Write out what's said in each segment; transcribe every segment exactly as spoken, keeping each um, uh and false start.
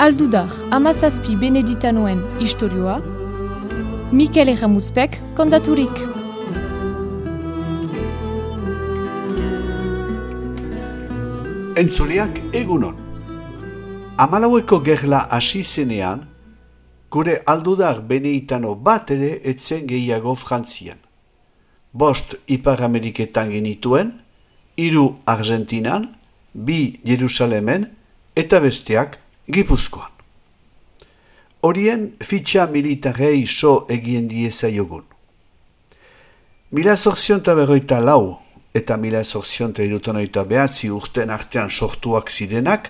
Aldudar, hamazazpi beneditanoen istorioa, Mikel Erramuzpek kontaturik. Entzuleak egunon. Hamalaueko gerla hasi zenean, gure aldudar beneditano bat ere etzen gehiago Frantzian. Bost Ipar Ameriketan genituen, hiru Argentinan, bi Jerusalemen eta besteak Gipuzkoan. Horien fitxa militarei so egien diezaiogun. Mila zortzionta berroita lau eta mila zortzionta irutanoita behatzi urten artean sortuak zirenak,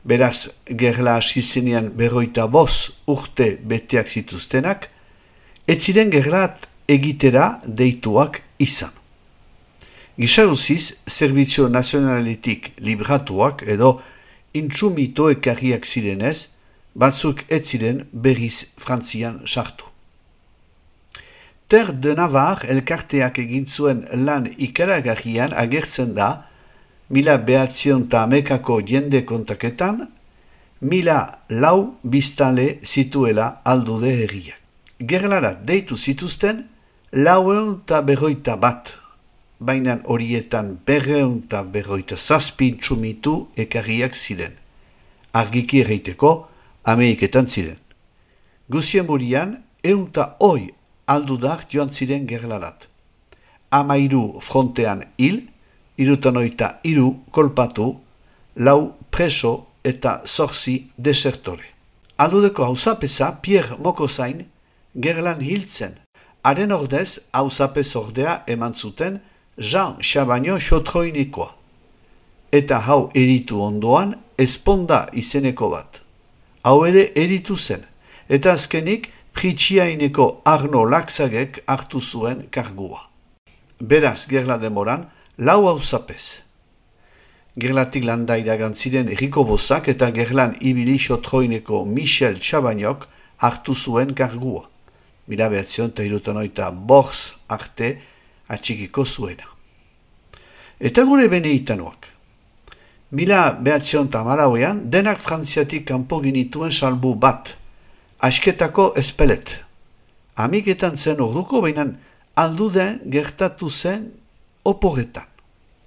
beraz gerla hasi zenean berroita boz urte beteak zituztenak, ez ziren gerlat egitera deituak izan. Gisaruziz, Zerbitzu Nazionaletik libratuak edo intsumito ekarriak zirenez, batzuk ez ziren berriz Frantzian sartu. Ter de Navar elkarteak egin zuen lan ikaragarrian agertzen da, mila behatzion eta amekako jende kontaketan, mila lau biztanle zituela aldude herriak. Gerlara deitu zituzten, laueun eta berroita bat, baina horietan berreun eta berroita zazpi intsumitu ekarriak ziren. Argiki erreiteko, Ameriketan ziren. Guzien burian, eun eta hoi aldudar joan ziren gerlarat. Amairu frontean hil, irutanoita hiru kolpatu, lau preso eta zorzi desertore. Aldudeko hauzapeza Pierre Mokozain gerlan hiltzen. Haren ordez hauzapez ordea eman zuten Jean Chabaino xotroinekoa. Eta hau eritu ondoan Esponda izeneko bat. Hau ere eritu zen, eta azkenik Pritxiaineko Arno Laxagek hartu zuen kargua. Beraz, gerla demoran, lau hauzapez. Gerlatik landa iragantziren Eriko Bozak eta gerlan ibili xotroineko Michel Chabainok hartu zuen kargua. Mila behatzion eta irutanoita borz arte atxikiko zuena. Eta gure beneditanoak. Mila behatzion eta hamalauean, denak Frantziatik kanpo ginituen salbu bat, asketako espelet. Amiketan zen orduko, baina alduden gertatu zen oporretan.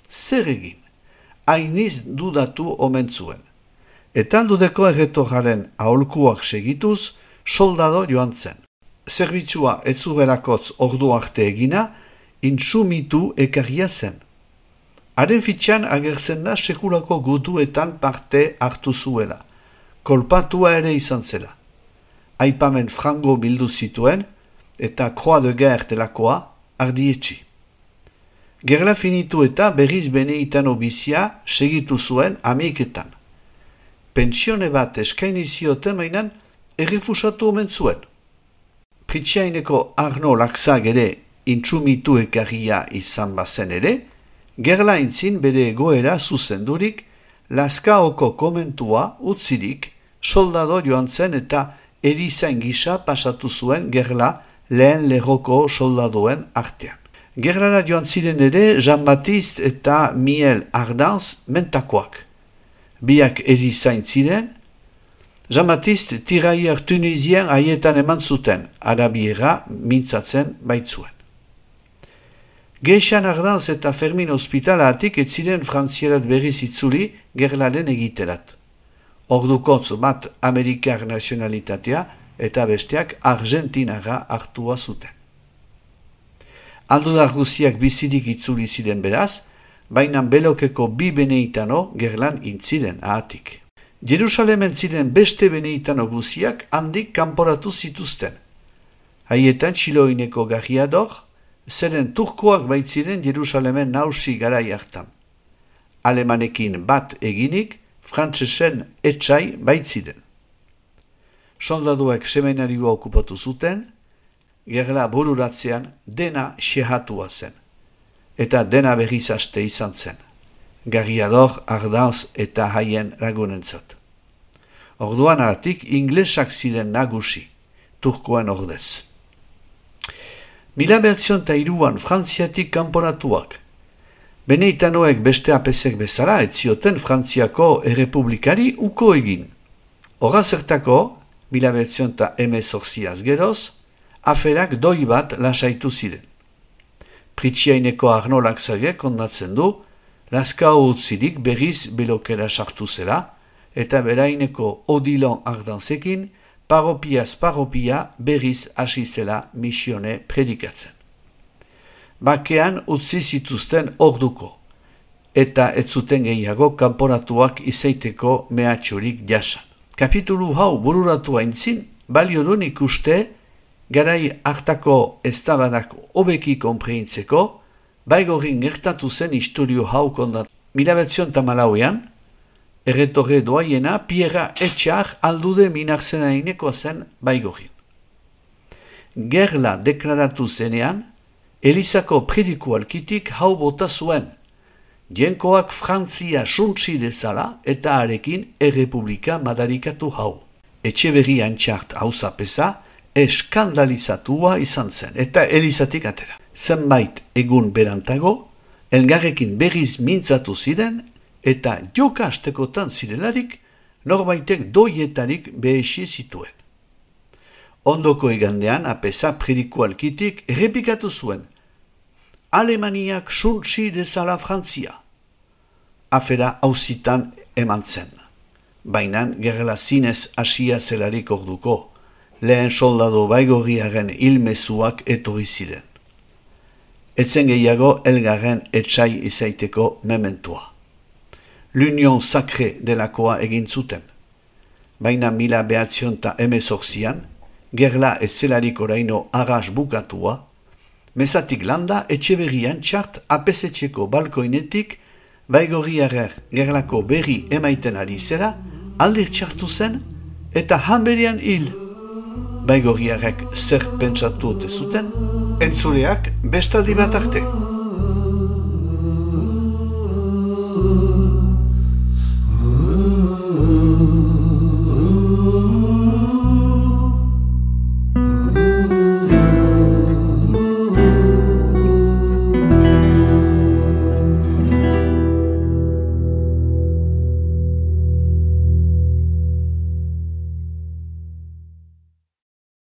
Zer egin? Hainiz dudatu omen zuen. Eta aldudeko erretorraren aholkuak segituz, soldado joan zen. Zerbitzua ez zuberakotz ordu arte egina, intsumitu ekarria zen. Haren fitxan agertzen da sekulako gutuetan parte hartu zuela. Kolpatua ere izan zela. Aipamen frango bildu zituen eta Croix de Guerre delakoa ardietxi. Gerla finitu eta berriz beneditano bizia segitu zuen Ameriketan. Pentsione bat eskaini zioten mainan errefusatu omen zuen. Pritxiaineko Arno Laxag ere intsumitu ekarria izan bazen ere, gerla intzin bere egoera zuzendurik, Lazkaoko komentua utzirik, soldado joan zen eta erizain gisa pasatu zuen gerla lehen lerroko soldadoen artean. Gerlara joan ziren ere Jean-Baptiste eta Miel Ardanz mentakoak. Biak erizain ziren, Jean-Baptiste tiraier tunisien haietan eman zuten, arabiera mintzatzen baitzuen. Geixan Ardanz eta Fermin ospitalatik ez ziren Frantzierat berriz itzuli gerlaren egiterat. Ordukotz bat Amerikar nazionalitatea eta besteak Argentinara hartua zuten. Aldudar guziak bizirik itzuli ziren beraz, baina belokeko bi beneditano gerlan intziren ahatik. Jerusalemen ziren beste beneditano guziak handik kanporatu zituzten. Haietan Txiloineko Garriador, zeren turkoak baitziren Jerusalemen nausi garai hartan. Alemanekin bat eginik, frantsesen etxai baitziren. Soldaduek seminarioa okupatu zuten, gerla bururatzean dena xehatua zen. Eta dena berriz aste izan zen. Garriador, Ardanz eta haien lagunentzat. Orduan aratik inglesak ziren nagusi, turkoen ordez. Mila bertzion eta iruan Frantziatik kanporatuak, Beneditanoek beste apesek bezala ez zioten Frantziako errepublikari uko egin. Horra zertako, mila bederatziehun eta hemezortziaz geroz, aferak doi bat lasaitu ziren. Pritxiaineko Arnolak zage kondatzen du, Lazkao utzirik berriz belokera sartu zela, eta beraineko Odilon Ardanzekin, paropiaz paropia berriz hasi zela misione predikatzen. Bakean utzi zituzten orduko, eta ez zuten gehiago kanporatuak izaiteko mehatxurik jasan. Kapitulu hau bururatu aintzin, balio duen ikuste, garai hartako eztabadak hobeki konpreintzeko, Baigorin gertatu zen istorio hau kondat. Mila bederatziehun eta hamalauean, erretorre doaiena Pierra Etxar aldude minarzenaineko zen Baigorin. Gerla deklaratu zenean, Elizako predikualkitik hau bota zuen. Jenkoak Frantzia suntsi dezala eta arekin errepublika madarikatu hau. Etxeberri antxart hauzapeza eskandalizatua izan zen eta Elizatik atera. Zenbait egun berantago, elgarrekin berriz mintzatu ziren eta joka astekotan zirelarik norbaitek doietarik behesi zituen. Ondoko igandean apesa predikualkitik errepikatu zuen. Alemaniak suntsi dezala Frantzia. Afera hauzitan eman zen. Bainan gerla zinez hasia zelarik orduko, lehen soldado Baigorriaren hilmezuak etorri ziren. Etzen gehiago elgarren etxai izaiteko mementua. L'Union Sacré delakoa egin zuten. Baina mila bederatziehun eta hemezortzian, gerla ez zelarik oraino arras bukatua, mezatik landa Etxeberrian txart apesetxeko balkoinetik Baigorriarrer gerlako berri emaiten ari zera, aldir txartu zen eta hanberian hil. Baigorriarrek zer pentsatu ote zuten, entzuleak bestaldi bat arte.